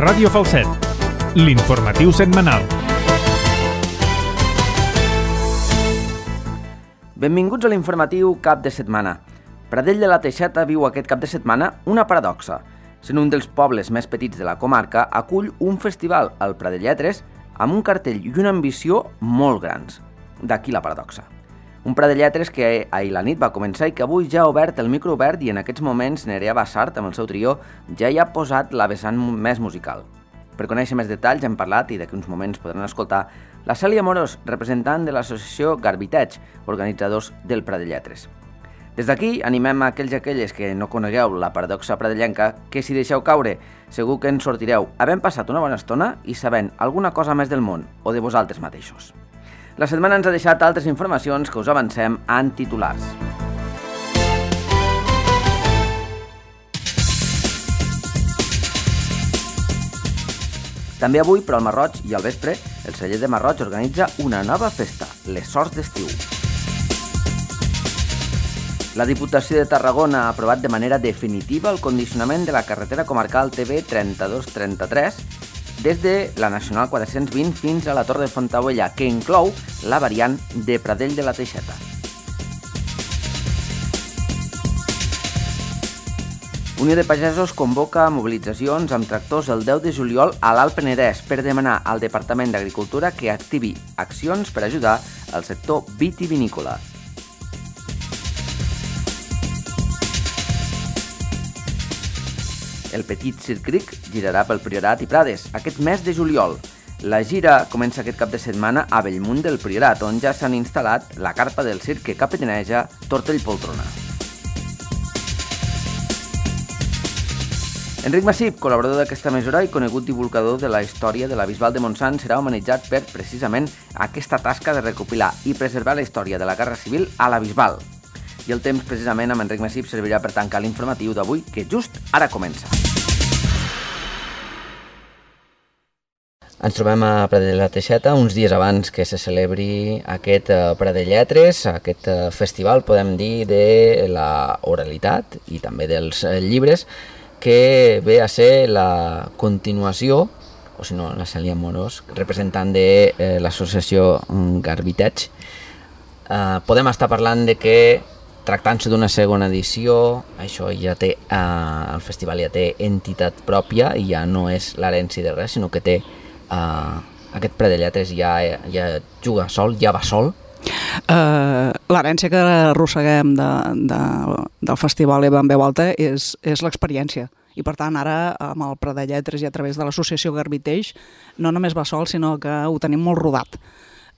Ràdio Falset, l'informatiu setmanal. Benvinguts a l'informatiu cap de setmana. Pradell de la Teixeta viu aquest cap de setmana una paradoxa. Sent un dels pobles més petits de la comarca, acull un festival, el Pradell Lletres, amb un cartell i una ambició molt grans. D'aquí la paradoxa. Un Pradell Lletres que ahir la nit va començar i que avui ja ha obert el micro obert i en aquests moments Nerea Bassart, amb el seu trio, ja hi ha posat la vessant més musical. Per conèixer més detalls hem parlat, i d'aquí uns moments podran escoltar, la Cèlia Amorós, representant de l'associació Garbiteig, organitzadors del Pradell Lletres. Des d'aquí animem a aquells i aquelles que no conegueu la paradoxa pradellenca que si deixeu caure segur que en sortireu havent passat una bona estona i sabent alguna cosa més del món o de vosaltres mateixos. La setmana ens ha deixat altres informacions que us avancem en titulars. També avui, però al Marroig i al vespre, el celler de Marroig organitza una nova festa, les Sorts d'Estiu. La Diputació de Tarragona ha aprovat de manera definitiva el condicionament de la carretera comarcal TV 3233 des de la Nacional 420 fins a la Torre de Fontaubella, que inclou la variant de Pradell de la Teixeta. Unió de Pagesos convoca mobilitzacions amb tractors el 10 de juliol a l'Alt Penedès per demanar al Departament d'Agricultura que activi accions per ajudar al sector vitivinícola. El Petit Circric girarà pel Priorat i Prades aquest mes de juliol. La gira comença aquest cap de setmana a Bellmunt del Priorat, on ja s'han instal·lat la carpa del circ que capitaneja Tortell Poltrona. Enric Massip, col·laborador d'aquesta emissora i conegut divulgador de la història de la Bisbal de Montsant, serà homenatjat per, precisament, aquesta tasca de recopilar i preservar la història de la Guerra Civil a la Bisbal. I el temps, precisament, amb Enric Massip servirà per tancar l'informatiu d'avui, que just ara comença. Ens trobem a Pradell de la Teixeta uns dies abans que se celebri aquest Pradell Lletres, aquest festival, podem dir, de la oralitat i també dels llibres, que ve a ser la continuació, o si no, la Cèlia Amorós, representant de l'associació Garbiteig. Podem estar parlant de que, tractant-se d'una segona edició, això ja té, el festival ja té entitat pròpia i ja no és l'herència de res, sinó que té aquest Pradell Lletres ja juga sol, ja va sol. L'herència que arrosseguem del festival i en veu alta és l'experiència. I per tant ara amb el Pradell Lletres i a través de l'associació Garbiteig no només va sol, sinó que ho tenim molt rodat.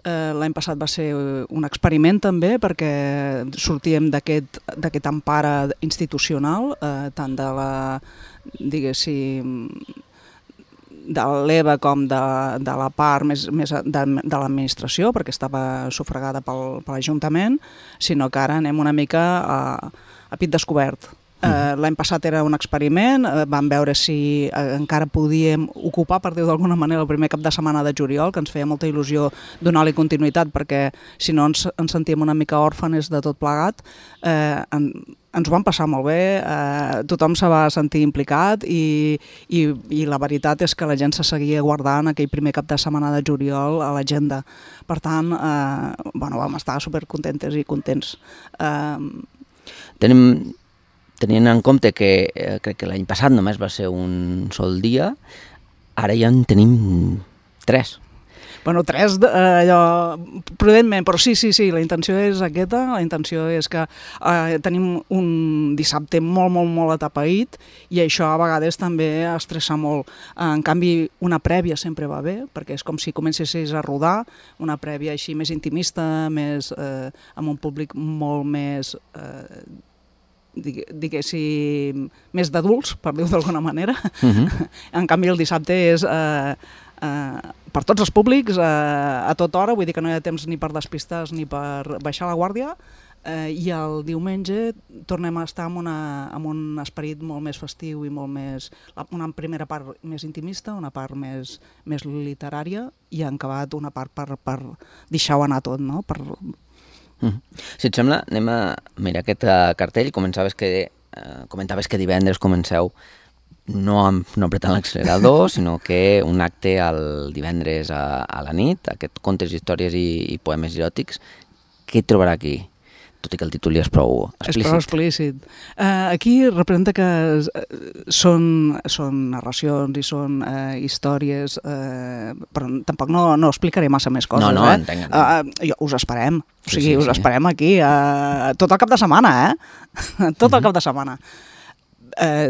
L'any passat va ser un experiment també perquè sortíem d'aquest empara institucional, tant de la, diguéssim, de l'EVA com de la part més de l'administració, perquè estava sufragada per l'Ajuntament, sinó que ara anem una mica a pit descobert. L'any passat era un experiment, vam veure si encara podíem ocupar, per dir-ho d'alguna manera, el primer cap de setmana de juliol, que ens feia molta il·lusió donar-li continuïtat, perquè si no ens sentíem una mica òrfans de tot plegat. Ens ho vam passar molt bé, tothom se va sentir implicat i la veritat és que la gent se seguia guardant aquell primer cap de setmana de juliol a l'agenda. Per tant, vam estar supercontentes i contents. Tenint en compte que crec que l'any passat només va ser un sol dia, ara ja en tenim 3. Bueno, 3, prudentment, però sí, la intenció és aquesta, la intenció és que tenim un dissabte molt atapeït i això a vegades també estressa molt. En canvi, una prèvia sempre va bé, perquè és com si comencessis a rodar, una prèvia així més intimista, amb un públic molt més diguéssim, més d'adults, per dir-ho d'alguna manera. En canvi, el dissabte és per tots els públics, a tota hora, vull dir que no hi ha temps ni per despistar ni per baixar la guàrdia, i el diumenge tornem a estar amb un esperit molt més festiu i molt més, una primera part més intimista, una part més literària i en acabat una part per deixar-ho anar tot, no? Si et sembla, anem a mirar aquest cartell. Comentaves que divendres comenceu no apretant l'accelerador, sinó que un acte el divendres a la nit, aquest contes, històries i poemes eròtics, què hi trobarà aquí? Tot i que el títol ja és prou explícit. És prou explícit. Aquí representa que són narracions i són històries, però tampoc no explicaré massa més coses. No, entenc. Us esperem. O sigui, us esperem aquí tot el cap de setmana, tot el cap de setmana.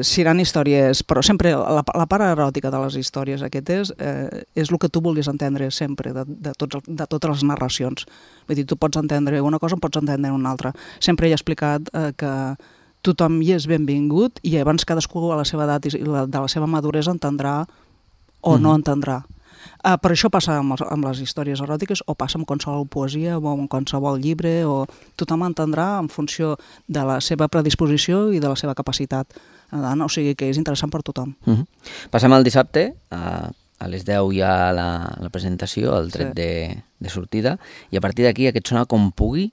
Seran històries, però sempre la part eròtica de les històries aquestes és el que tu vulguis entendre sempre de totes les narracions. Vull dir, tu pots entendre una cosa o pots entendre una altra. Sempre he explicat que tothom hi és benvingut i abans cadascú a la seva edat i de la seva maduresa entendrà o no entendrà. Per això passa amb les històries eròtiques o passa amb qualsevol poesia o amb qualsevol llibre, o tothom entendrà en funció de la seva predisposició i de la seva capacitat. O sigui que és interessant per tothom. Passem al dissabte, a les 10 hi ha la presentació, el tret de sortida, i a partir d'aquí aquest Sona com pugui.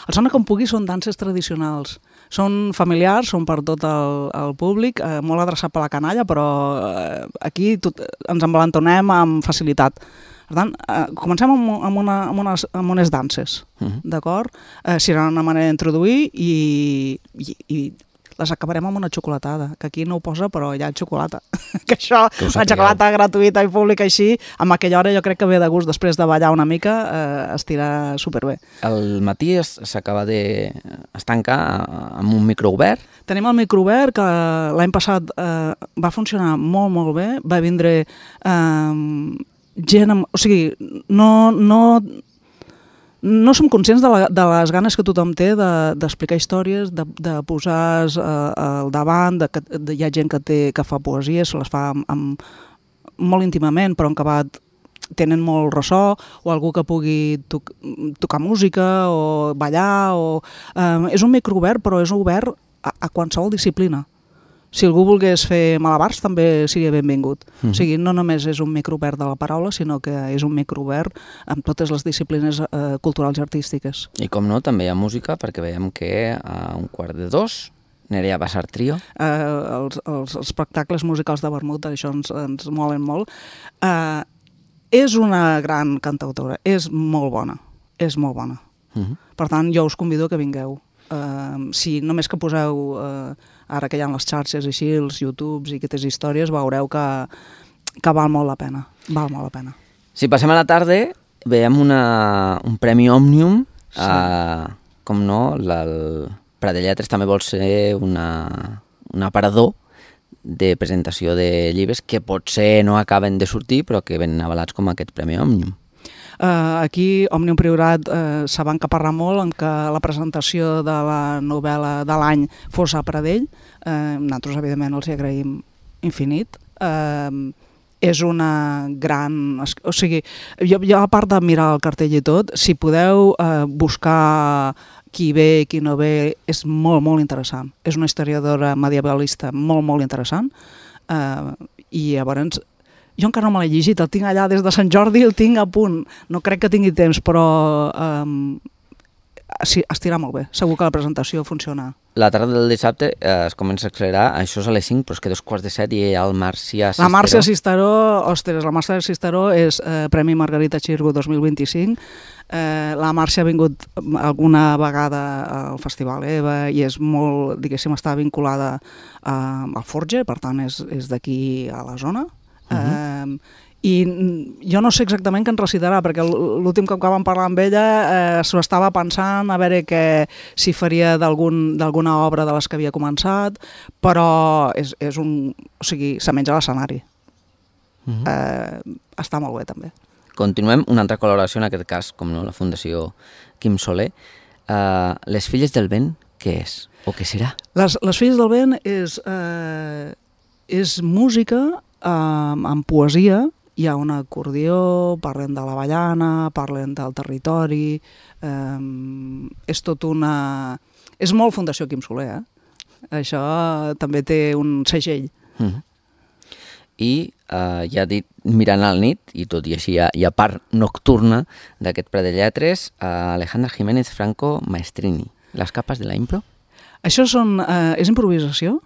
El Sona com pugui són danses tradicionals. Són familiars, són per tot el públic, molt adreçat per la canalla, però aquí ens envalentonem amb facilitat. Per tant, comencem amb unes danses, d'acord? Serà una manera d'introduir i les acabarem amb una xocolatada, que aquí no ho posa, però hi ha xocolata. Que això, una xocolata gratuïta i pública així, amb aquella hora jo crec que ve de gust, després de ballar una mica, estirà superbé. El matí s'acaba es tanca amb un micro obert. Tenim el micro obert, que l'any passat va funcionar molt, molt bé. Va vindre gent... O sigui, no som conscients de les ganes que tothom té d'explicar històries, de posar al davant, hi ha gent que fa poesia, se les fa molt íntimament, però en acabat tenen molt ressò, o algú que pugui tocar música o ballar. És un micro obert, però és obert a qualsevol disciplina. Si algú volgués fer malabars també seria benvingut. O sigui, no només és un micro obert de la paraula, sinó que és un micro obert amb totes les disciplines culturals i artístiques. I com no, també hi ha música, perquè veiem que a 1:45 Nerea Bassar Trio. Els espectacles musicals de vermut, això ens molen molt. És una gran cantautora, és molt bona, és molt bona. Per tant, jo us convido que vingueu. Si només que poseu ara que hi ha les xarxes així, els YouTubes i aquestes històries, veureu que val molt la pena. Val molt la pena. Si passem a la tarda, veiem un Premi Òmnium. Com no, el Prat de Lletres també vol ser un aparador de presentació de llibres que potser no acaben de sortir, però que venen avalats com aquest Premi Òmnium. Aquí, Òmnium Priorat se va encaparrar molt en que la presentació de la novel·la de l'any fos a Pradell. Nosaltres, evidentment, els hi agraïm infinit. És una gran... O sigui, jo a part de mirar el cartell i tot, si podeu buscar qui ve i qui no ve, és molt, molt interessant. És una historiadora medievalista molt, molt interessant. I llavors... Jo encara no me l'he llegit, el tinc allà des de Sant Jordi, el tinc a punt. No crec que tingui temps, però estirà molt bé. Segur que la presentació funciona. La tarda del dissabte es comença a accelerar, això és a les 5, però és que 2:45 i hi ha el Màrcia Cisteró. La Màrcia Cisteró, ostres, la Màrcia Cisteró és Premi Margarita Xirgu 2025. La Màrcia ha vingut alguna vegada al Festival EVA i és molt, diguéssim, està vinculada al Forge, per tant és d'aquí a la zona. I jo no sé exactament què ens recitarà, perquè l'últim cop que vam parlar amb ella s'ho estava pensant a veure si faria d'alguna obra de les que havia començat, però és un... O sigui, se menja l'escenari. Està molt bé, també. Continuem, una altra col·laboració, en aquest cas, com no, la Fundació Quim Soler. Les Filles del Vent, què és? O què serà? Les Filles del Vent és música amb poesia. Hi ha un acordió, parlen de l'avellana, parlen del territori... És tot una... És molt Fundació Quim Soler, Això també té un segell. I ja dit, mirant al nit, i tot i així hi ha part nocturna d'aquest Prat de Lletres, Alejandra Jiménez Franco Maestrini. Les capes de la impro? Això és improvisació.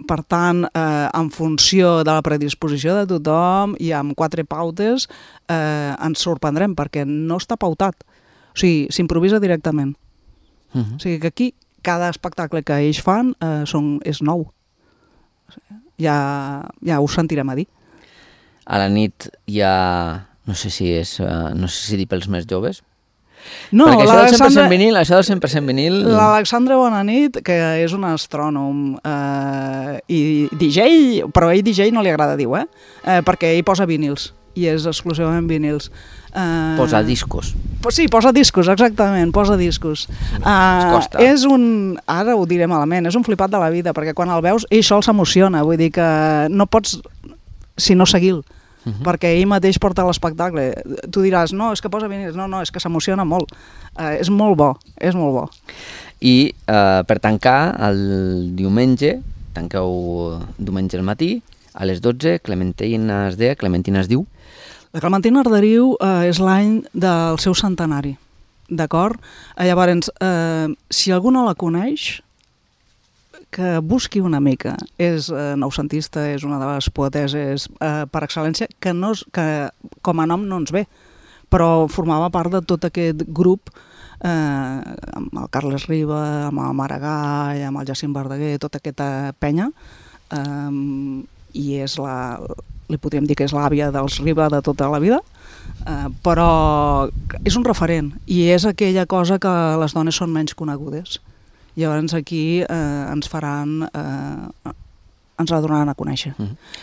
Per tant, en funció de la predisposició de tothom i amb 4 pautes ens sorprendrem perquè no està pautat. O sigui, s'improvisa directament. O sigui que aquí cada espectacle que ells fan és nou. Ja ho sentirem a dir. A la nit hi ha... No sé si dir pels més joves. No, perquè això del 100% vinil... L'Alexandre Bonanit, que és un astrònom i DJ, però a ell DJ no li agrada dir-ho, perquè ell posa vinils, i és exclusivament vinils. Posa discos. Sí, posa discos, exactament, posa discos. És un... Ara ho diré malament, és un flipat de la vida, perquè quan el veus, ell sol s'emociona, vull dir que no pots, si no seguir-lo, perquè ell mateix porta l'espectacle. Tu diràs, no, és que posa vinils, no, és que s'emociona molt. És molt bo, és molt bo. I per tancar, el diumenge, tanqueu diumenge al matí, a les 12, Clementina es diu? La Clementina Arderiu és l'any del seu centenari, d'acord? Llavors, si algú no la coneix, que busqui una mica. És noucentista, és una de les poeteses per excel·lència, que com a nom no ens ve, però formava part de tot aquest grup amb el Carles Riba, amb el Maragall, amb el Jacint Verdaguer, tota aquesta penya, i és li podríem dir que és l'àvia dels Riba de tota la vida, però és un referent i és aquella cosa que les dones són menys conegudes. Llavors aquí ens la donaran a conèixer.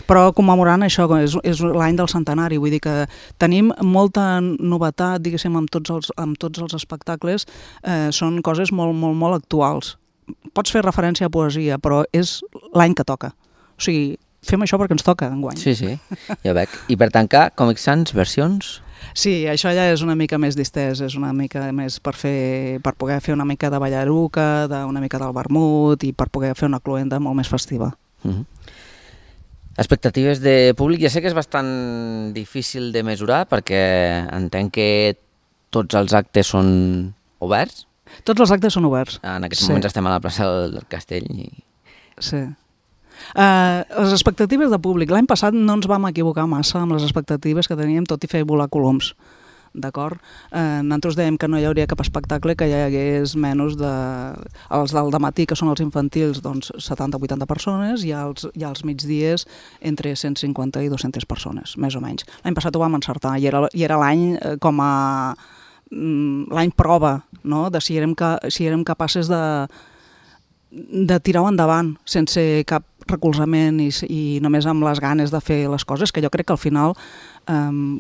Però commemorant això, és l'any del centenari, vull dir que tenim molta novetat, diguéssim, amb tots els espectacles, són coses molt, molt, molt actuals. Pots fer referència a poesia, però és l'any que toca. O sigui, fem això perquè ens toca enguany. Sí, ja veig. I per tancar, Comic Sans, versions? Sí, això ja és una mica més distès, és una mica més per poder fer una mica de ballaruca, una mica del vermut i per poder fer una cloenda molt més festiva. Expectatives de públic, ja sé que és bastant difícil de mesurar perquè entenc que tots els actes són oberts. Tots els actes són oberts. En aquests moments estem a la plaça del Castell. Sí. Les expectatives de públic. L'any passat no ens vam equivocar massa amb les expectatives que teníem, tot i fer volar coloms. D'acord? Nosaltres dèiem que no hi hauria cap espectacle que hi hagués menys els del dematí, que són els infantils, doncs 70-80 persones, i als migdies entre 150 i 200 persones, més o menys. L'any passat ho vam encertar i era l'any com a l'any prova, no? De si érem capaces de tirar-ho endavant sense cap recolzament i només amb les ganes de fer les coses, que jo crec que al final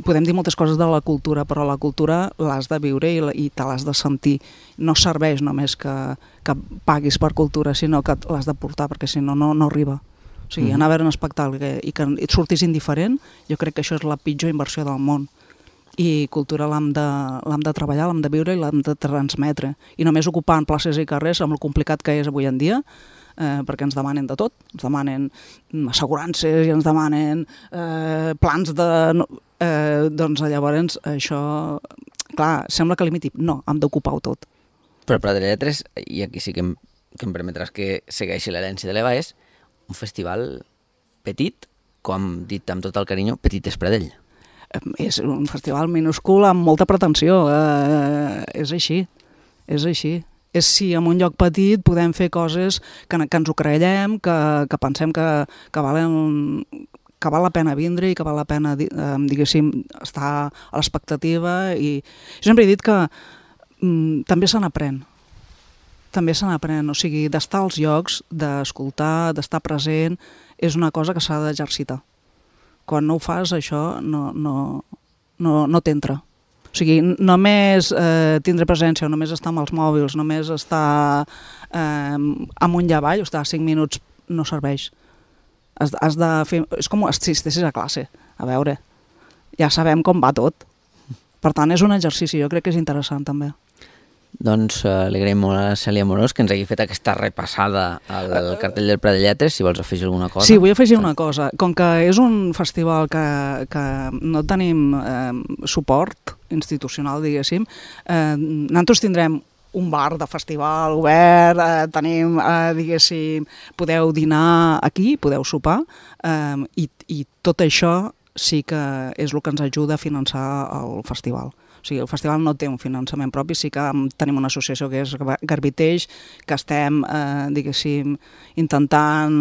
podem dir moltes coses de la cultura, però la cultura l'has de viure i te l'has de sentir. No serveix només que paguis per cultura, sinó que l'has de portar, perquè si no, no arriba. O sigui, anar a veure un espectacle i que et surtis indiferent, jo crec que això és la pitjor inversió del món. I cultura l'hem de treballar, l'hem de viure i l'hem de transmetre. I només ocupant places i carrers, amb el complicat que és avui en dia, perquè ens demanen de tot, ens demanen assegurances i ens demanen plans de... doncs llavors això, clar, sembla que limiti. No, hem d'ocupar-ho tot. Però Prat de Lletres, i aquí sí que em permetràs que segueixi l'herència de l'Eva, és un festival petit, com dit amb tot el carinyo, petit és Pradell. És un festival minúscul amb molta pretensió, és així, és així. És si en un lloc petit podem fer coses que ens ho creiem, que pensem que val la pena vindre i que val la pena, diguéssim, estar a l'expectativa. I jo sempre he dit que també se n'aprèn. També se n'aprèn, o sigui, d'estar als llocs, d'escoltar, d'estar present, és una cosa que s'ha d'exercitar. Quan no ho fas, això no t'entra. O sigui, només tindre presència, només estar amb els mòbils, només estar amunt i avall, o estar 5 minuts no serveix. Has de fer... És com si estessis a classe. A veure, ja sabem com va tot. Per tant, és un exercici, jo crec que és interessant també. Doncs li agraïm molt a Cèlia Amorós que ens hagi fet aquesta repassada al cartell del Prat de Lletres, si vols afegir alguna cosa. Sí, vull afegir una cosa. Com que és un festival que no tenim suport institucional, diguéssim, nosaltres tindrem un bar de festival obert, tenim, diguéssim, podeu dinar aquí, podeu sopar, i tot això sí que és el que ens ajuda a finançar el festival. O sigui, el festival no té un finançament propi, sí que tenim una associació que és Garbiteix, que estem, diguéssim, intentant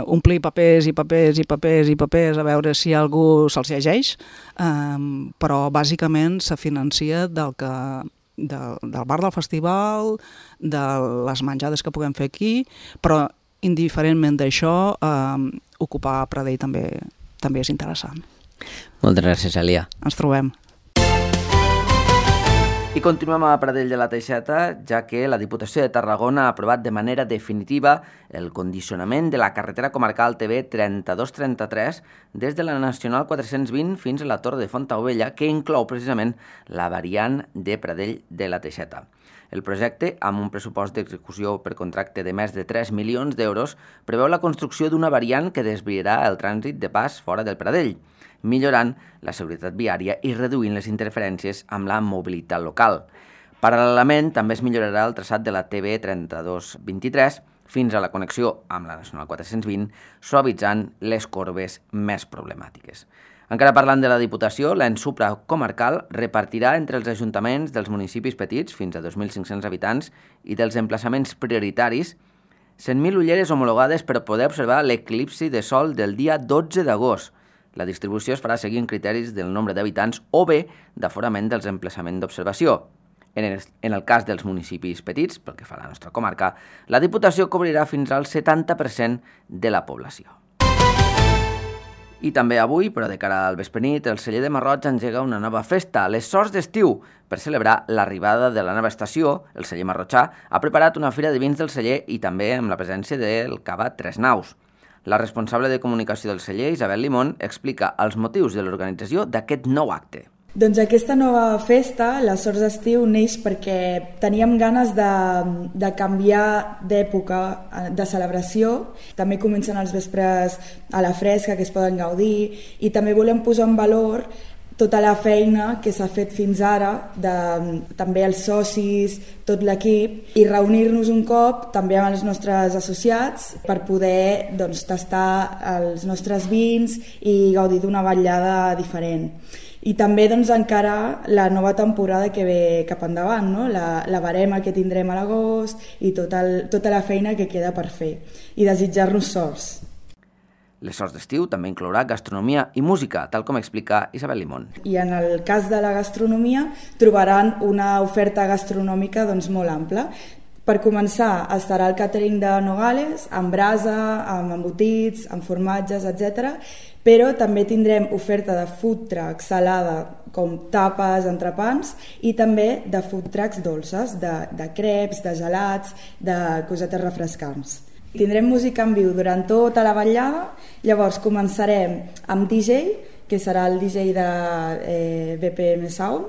omplir papers i papers i papers i papers a veure si algú se'ls llegeix, però bàsicament se financia del bar del festival, de les menjades que puguem fer aquí, però indiferentment d'això, ocupar Pradell també és interessant. Moltes gràcies, Elia. Ens trobem. I continuem a Pradell de la Teixeta, ja que la Diputació de Tarragona ha aprovat de manera definitiva el condicionament de la carretera comarcal TV 3233 des de la Nacional 420 fins a la Torre de Fontaubella, que inclou precisament la variant de Pradell de la Teixeta. El projecte, amb un pressupost d'execució per contracte de més de 3 milions d'euros, preveu la construcció d'una variant que desviarà el trànsit de pas fora del Pradell, millorant la seguretat viària i reduint les interferències amb la mobilitat local. Paral·lelament, també es millorarà el traçat de la TV 3223 fins a la connexió amb la Nacional 420, suavitzant les corbes més problemàtiques. Encara parlant de la Diputació, l'ens supracomarcal repartirà entre els ajuntaments dels municipis petits, fins a 2.500 habitants, i dels emplaçaments prioritaris, 100.000 ulleres homologades per poder observar l'eclipsi de sol del dia 12 d'agost. La distribució es farà seguint criteris del nombre d'habitants o bé d'aforament dels emplaçaments d'observació. En el cas dels municipis petits, pel que fa a la nostra comarca, la Diputació cobrirà fins al 70% de la població. I també avui, però de cara al vesprenit, el celler de Marroig engega una nova festa, les Sorts d'Estiu. Per celebrar l'arribada de la nova estació, el celler marrotxà ha preparat una fira de vins del celler i també amb la presència del cava Tres Naus. La responsable de comunicació del celler, Isabel Limón, explica els motius de l'organització d'aquest nou acte. Doncs aquesta nova festa, les Sorts d'Estiu, neix perquè teníem ganes de canviar d'època de celebració. També comencen els vespres a la fresca, que es poden gaudir, i també volem posar en valor tota la feina que s'ha fet fins ara, també els socis, tot l'equip, i reunir-nos un cop també amb els nostres associats per poder tastar els nostres vins i gaudir d'una vetllada diferent. I també encarar la nova temporada que ve cap endavant, no? la barema que tindrem a l'agost i tota la feina que queda per fer, i desitjar-nos sorts. Les Sorts d'Estiu també inclourà gastronomia i música, tal com explica Isabel Limón. I en el cas de la gastronomia trobaran una oferta gastronòmica molt ampla. Per començar, estarà el càtering de Nogales, amb brasa, amb embotits, amb formatges, etc. Però també tindrem oferta de food truck salada, com tapes, entrepans, i també de food trucks dolces, de creps, de gelats, de cosetes refrescants. Tindrem música en viu durant tota la vetllada, llavors començarem amb DJ, que serà el DJ de BPM Sound,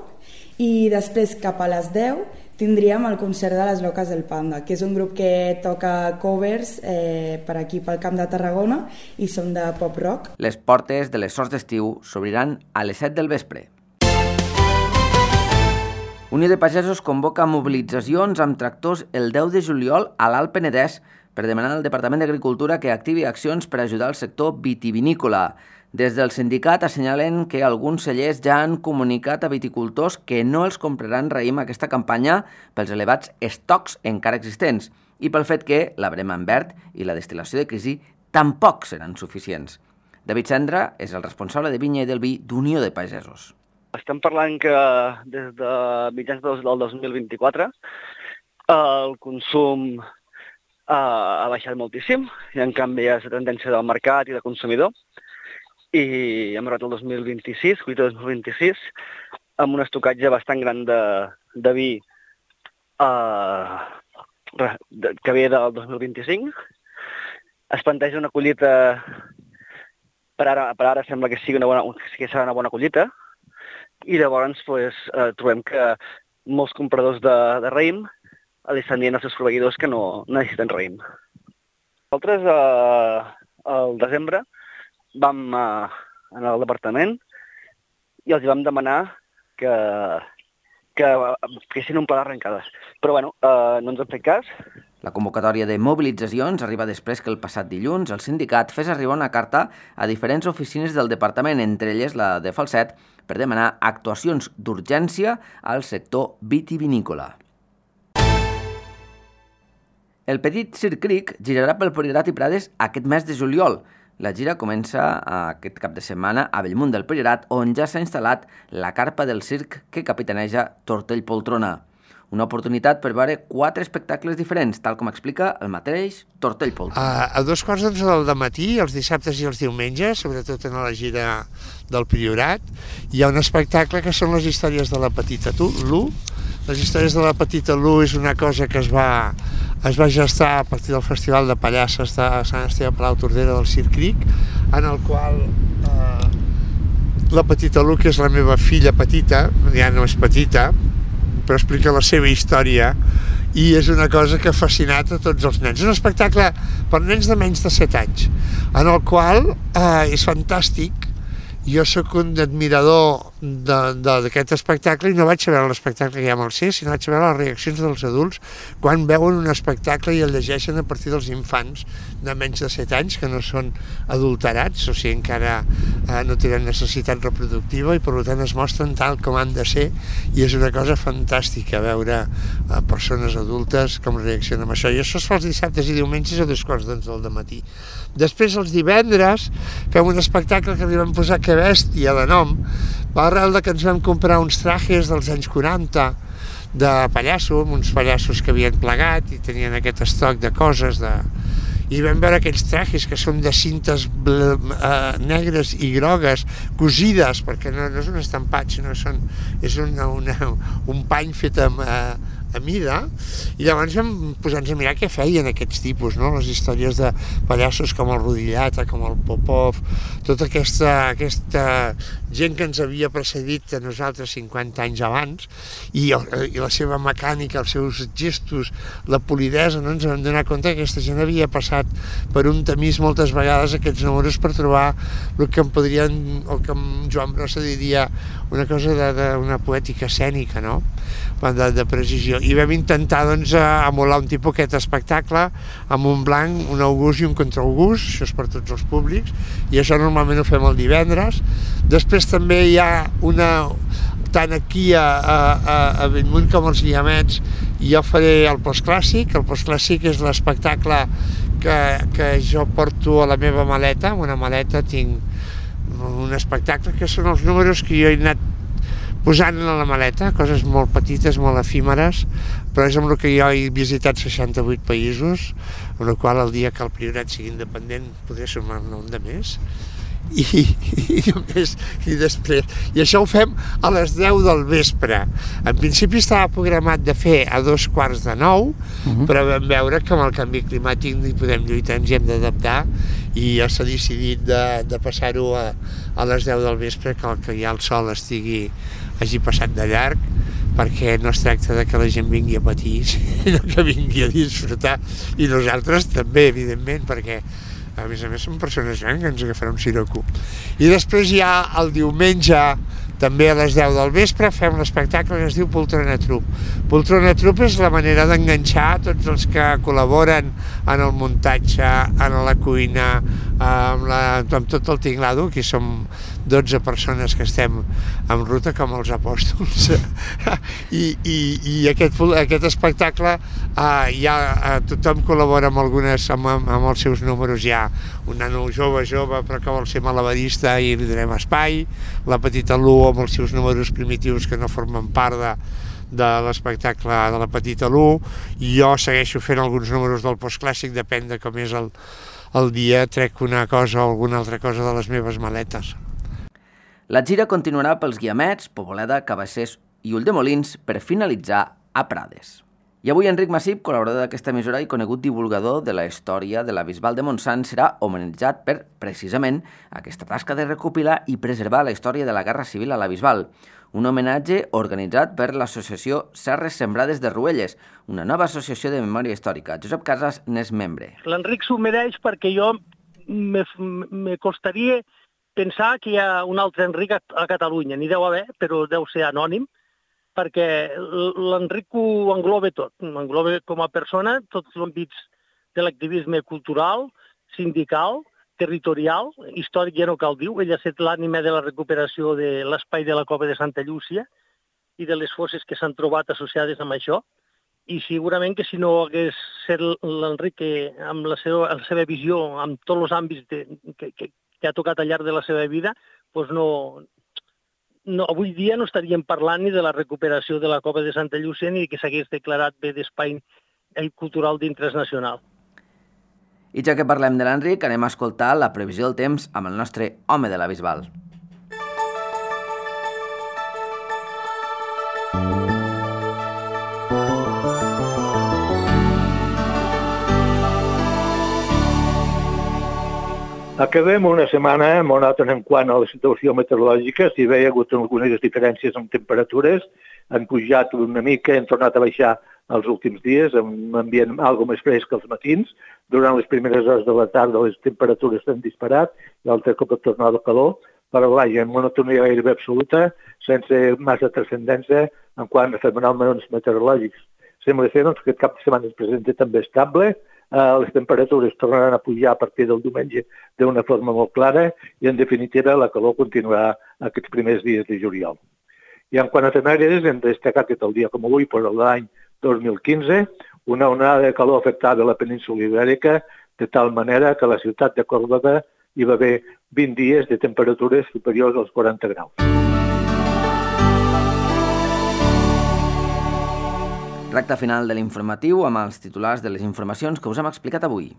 i després cap a les 10 tindríem el concert de les Loques del Panda, que és un grup que toca covers per aquí pel Camp de Tarragona i són de pop-rock. Les portes de les Sorts d'Estiu s'obriran a les 7 del vespre. Unió de Pagesos convoca mobilitzacions amb tractors el 10 de juliol a l'Alt Penedès per demanar al Departament d'Agricultura que activi accions per ajudar el sector vitivinícola. Des del sindicat assenyalen que alguns cellers ja han comunicat a viticultors que no els compraran raïm aquesta campanya pels elevats estocs encara existents i pel fet que la brema en verd i la destil·lació de crisi tampoc seran suficients. David Cendra és el responsable de vinya i del vi d'Unió de Pagesos. Estem parlant que des de mitjans del 2024 el consum ha baixat moltíssim i en canvi hi ha la tendència del mercat i del consumidor i hem arribat al 2026, collita 2026, amb un estocatge bastant gran de vi que ve del 2025. Es planteja una collita, per ara sembla que serà una bona collita, i llavors trobem que molts compradors de raïm li estan dient als seus proveïdors que no necessiten raïm. Nosaltres, al desembre, vam anar al departament i els vam demanar que que fessin un pla d'arrencades. Però bueno, no ens han fet cas. La convocatòria de mobilitzacions arriba després que el passat dilluns el sindicat fes arribar una carta a diferents oficines del departament, entre elles la de Falset, per demanar actuacions d'urgència al sector vitivinícola. El Petit Circ Cric girarà pel Priorat i Prades aquest mes de juliol. La gira comença aquest cap de setmana a Bellmunt del Priorat, on ja s'ha instal·lat la carpa del circ que capitaneja Tortell Poltrona. Una oportunitat per veure 4 espectacles diferents, tal com explica el mateix Tortell Poltrona. A 2:15 del matí, els dissabtes i els diumenges, sobretot en la gira del Priorat, hi ha un espectacle que són les històries de la Petita Lu. Les històries de la Petita Lu és una cosa que es va gestar a partir del Festival de Pallasses de Sant Esteve Palau Tordera del Circ Cric, en el qual la Petita Lu, que és la meva filla petita, ja no és petita, però explica la seva història i és una cosa que ha fascinat a tots els nens. És un espectacle per nens de menys de 7 anys, en el qual és fantàstic. Jo sóc un admirador d'aquest espectacle i no vaig a veure l'espectacle que hi ha amb el C, sinó vaig a veure les reaccions dels adults quan veuen un espectacle i el llegeixen a partir dels infants de menys de 7 anys, que no són adulterats, o sigui, encara no tenen necessitat reproductiva i per tant es mostren tal com han de ser, i és una cosa fantàstica veure persones adultes com reaccionen amb això. I això es fa els dissabtes i diumenges a 2:11 del matí. Després, els divendres, fem un espectacle que li vam posar Que bèstia de nom, va arrel que ens vam comprar uns trajes dels anys 40 de pallasso, amb uns pallassos que havien plegat i tenien aquest estoc de coses i vam veure aquells trajes que són de cintes negres i grogues cosides, perquè no és un estampat, sinó és un pany fet a mida, i llavors vam posar-nos a mirar què feien aquests tipus, no? Les històries de pallassos com el Rodillata, com el Popov, tota aquesta gent que ens havia precedit a nosaltres 50 anys abans, i la seva mecànica, els seus gestos, la polidesa, no ens vam donar compte que aquesta gent havia passat per un tamís moltes vegades aquests números per trobar el que en Joan Brossa diria una cosa d'una poètica escènica, no? De precisió. I vam intentar emular un tipus aquest espectacle amb un blanc, un august i un contraaugust, això és per tots els públics, i això normalment ho fem el divendres. Després també hi ha tant aquí a Bellmunt com als Guiamets, jo faré el postclàssic. El postclàssic és l'espectacle que jo porto a la meva maleta. En una maleta tinc un espectacle que són els números que jo he anat posant a la maleta, coses molt petites, molt efímeres, però és amb el que jo he visitat 68 països, amb el qual el dia que el Priorat sigui independent podré sumar-ne un de més. I després. I això ho fem a les 10 del vespre. En principi estava programat de fer a 8:45, però vam veure que amb el canvi climàtic no hi podem lluitar, ens hi hem d'adaptar, i ja s'ha decidit de passar-ho a les 10 del vespre, que ja el sol hagi passat de llarg, perquè no es tracta de que la gent vingui a patir, sinó que vingui a disfrutar, i nosaltres també, evidentment, perquè a més són persones grans que ens agafarà un siroco. I després ja el diumenge, també a les 10 del vespre, fem l'espectacle que es diu Poltrona Trup. Poltrona Trup és la manera d'enganxar tots els que col·laboren en el muntatge, en la cuina, amb tot el tinglado, que som 12 persones que estem en ruta com els apòstols. I aquest espectacle tothom col·labora amb els seus números. Hi ha un nano jove però que vol ser malabarista i li donem espai, la Petita Lu amb els seus números primitius que no formen part de l'espectacle de la Petita Lu, i jo segueixo fent alguns números del postclàssic, depèn de com és el dia, trec una cosa o alguna altra cosa de les meves maletes. La gira continuarà pels Guiamets, Poboleda, Cabassers i Ulldemolins per finalitzar a Prades. I avui Enric Massip, col·laborador d'aquesta emissora i conegut divulgador de la història de la Bisbal de Montsant, serà homenatjat per, precisament, aquesta tasca de recopilar i preservar la història de la Guerra Civil a la Bisbal. Un homenatge organitzat per l'associació Serres Sembrades de Ruelles, una nova associació de memòria històrica. Josep Casas n'és membre. L'Enric s'ho mereix perquè jo me costaria pensar que hi ha un altre Enric a Catalunya. N'hi deu haver, però deu ser anònim. perquè l'Enric ho engloba tot. Engloba com a persona tots els àmbits de l'activisme cultural, sindical, territorial, històric ja no cal dir. Ell ha estat l'ànima de la recuperació de l'espai de la Cova de Santa Llúcia i de les fosses que s'han trobat associades amb això. I segurament que si no hagués set l'Enric amb la seva visió, amb tots els àmbits que ha tocat al llarg de la seva vida, doncs avui dia no estaríem parlant ni de la recuperació de la Cova de Santa Llúcia ni que s'hagués declarat bé d'espai cultural d'interès nacional. I ja que parlem de l'Enric, anem a escoltar la previsió del temps amb el nostre home de la Bisbal. Acabem una setmana monòtona en quant a la situació meteorològica. Si bé hi ha hagut algunes diferències en temperatures, han pujat una mica, han tornat a baixar els últims dies, amb un ambient algo més fresc als matins. Durant les primeres hores de la tarda les temperatures s'han disparat, l'altre cop ha tornat el calor, però vaja, en monotonia gairebé absoluta, sense massa transcendència en quant a fenòmens meteorològics. Sembla ser que aquest cap de setmana es presenta també estable. Les temperatures tornaran a pujar a partir del diumenge d'una forma molt clara i, en definitiva, la calor continuarà aquests primers dies de juliol. I en quant a efemèrides, hem destacat que el dia com avui, per l'any 2015, una onada de calor afectava la península Ibèrica de tal manera que a la ciutat de Còrdova hi va haver 20 dies de temperatures superiors als 40 graus. Recta final de l'informatiu amb els titulars de les informacions que us hem explicat avui.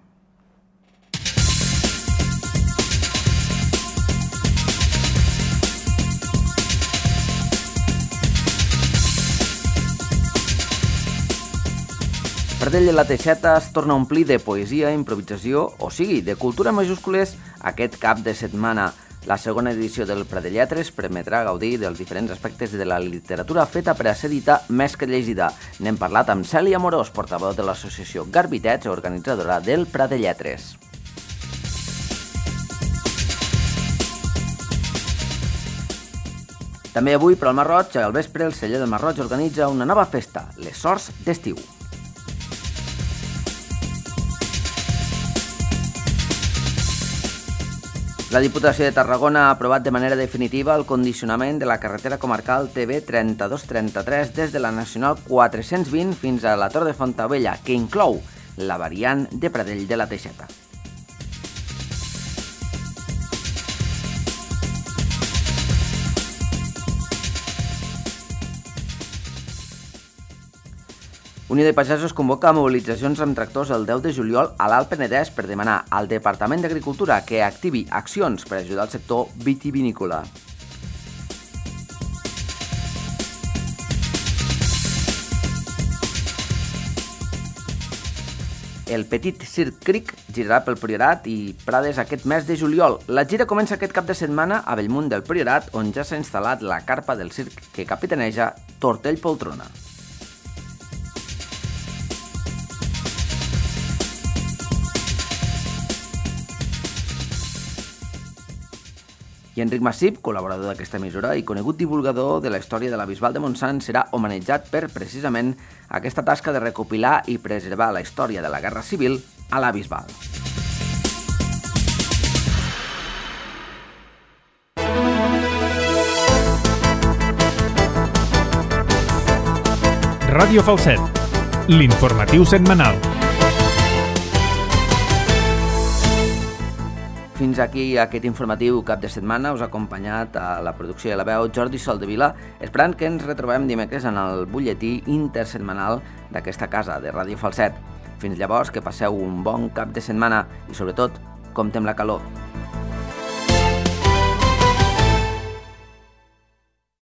Pradell de la Teixeta es torna a omplir de poesia, improvisació, o sigui, de cultura majúscules aquest cap de setmana. La segona edició del Pradelletres permetrà gaudir dels diferents aspectes de la literatura feta per a ser dita més que llegida. N'hem parlat amb Cèlia Amorós, portaveu de l'associació Garbitets, organitzadora del Pradelletres. També avui, per al Masroig, al vespre, el celler del Masroig organitza una nova festa, les Sorts d'Estiu. La Diputació de Tarragona ha aprovat de manera definitiva el condicionament de la carretera comarcal TB 3233 des de la Nacional 420 fins a la Tor de Fontaubella, que inclou la variant de Pradell de la Teixeta. Unió de Pagesos convoca mobilitzacions amb tractors el 10 de juliol a l'Alt Penedès per demanar al Departament d'Agricultura que activi accions per ajudar el sector vitivinícola. El Petit Circ Cric girarà pel Priorat i Prades aquest mes de juliol. La gira comença aquest cap de setmana a Bellmunt del Priorat, on ja s'ha instal·lat la carpa del circ que capitaneja Tortell Poltrona. I Enric Massip, col·laborador d'aquesta emissora i conegut divulgador de la història de la Bisbal de Montsant, serà homenatjat per, precisament, aquesta tasca de recopilar i preservar la història de la Guerra Civil a la Bisbal. Ràdio Falset, l'informatiu setmanal. Fins aquí aquest informatiu cap de setmana. Us ha acompanyat a la producció i a la veu Jordi Soldevila, esperant que ens retrobem dimecres en el butlletí intersetmanal d'aquesta casa de Ràdio Falset. Fins llavors, que passeu un bon cap de setmana i, sobretot, compte amb la calor.